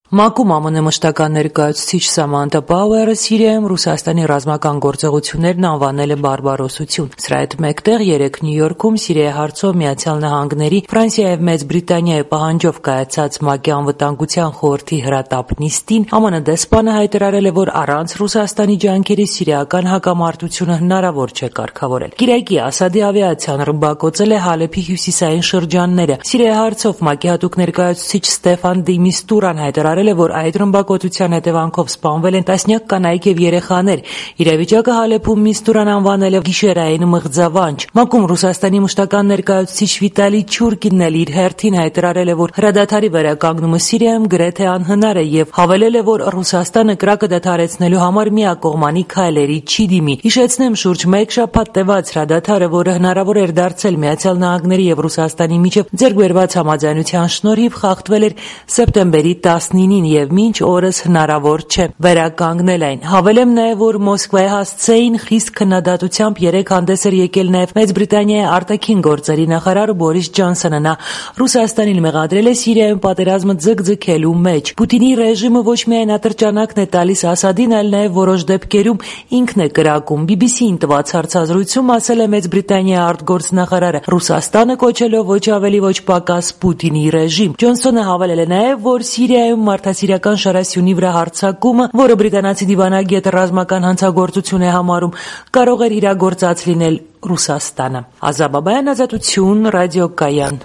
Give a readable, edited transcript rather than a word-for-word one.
ՄԱԿ-ում ԱՄՆ մշտական ներկայացուցիչ Սամանթա Պաուերը Սիրիայում Ռուսաստանի ռազմական գործողություններն անվանել է բարբարոսություն։ Սրա հետ մեկտեղ երեկ Նյու Յորքում Սիրիայի հարցով Միացյալ Նահանգների, Ֆրանսիայի եւ Մեծ Բրիտանիայի պահանջով կայացած ՄԱԿ-ի անվտանգության խորհրդի հրատապ նիստին ԱՄՆ դեսպանը հայտարարել է, որ առանց Ռուսաստանի ջանքերի սիրիական հակամարտությունը հնարավոր չէ կարգավորել։ Կիրակի Ասադի ավիացիան ռմբակոծել է Հալեփի հյուսիսային շրջանները։ Սիրիայի հարցով ՄԱԿ-ի հատուկ ներկայացուցիչ Ստեֆան դի Միստուրան հայտարարել է, որ այդ ռմբակոծության հետևանքով սպանվել են տասնյակ կանայք եւ երեխաներ։ Իրավիճակը Հալեփում Միստուրան անվանել է գիշերային մղձավանջ։ ՄԱԿ-ում Ռուսաստանի մշտական ներկայացուցիչ Վիտալի Չուրկինն էլ իր հերթին հայտարարել է, որ հրադադարի վերականգնումը Սիրիայում գրեթե անհնար է եւ հավելել է, որ Ռուսաստանը կրակը դադարեցնելու համար միակողմանի քայլերի չի դիմի։ Հիշեցնեմ, շուրջ մեկ շաբաթ տևած հրադադարը, որը հնարավոր էր դարձել Միացյալ Նահանգների եւ Ռուսաստանի միջև ձեռք բերված համաձայնության շնորհիվ, խախտվել էր սեպտեմբերի 19-ին եւ մինչ օրս հնարավոր չէ վերականգնել այն։ Հավելեմ նաեւ, որ Մոսկվայի հասցեին խիստ քննադատությամբ երեք հանդես էր եկել նաեւ Մեծ Բրիտանիայի արտաքին գործերի նախարար Բորիս Ջոնսոնը։ Նա Ռուսաստանին մեղադրել է Սիրիայում պատերազմը ձգձգելու մեջ։ Պուտինի ռեժիմը ոչ միայն ատրճանակն է տալիս Ասադին, այլ նաեւ որոշ դեպքերում ինքն է կրակում։ BBC-ին տված հարցազրույցում ասել է Մեծ Բրիտանիայի արտգործնախարարը, Ռուսաստանը կոչելով ոչ ավելի ոչ պակաս Պուտինի ռեժիմ։ Ջոնսոնը հավելել է նաեւ, որ Սիրիայում մարդասիրական շարասյունի վրա հարձակումը, որը բրիտանացի դիվանագետը ռազմական հանցագործություն է համարում, կարող էր իրագործած լինել Ռուսաստանը։ Ազատ Բաբայան, Ազատություն, ռադիոկայան։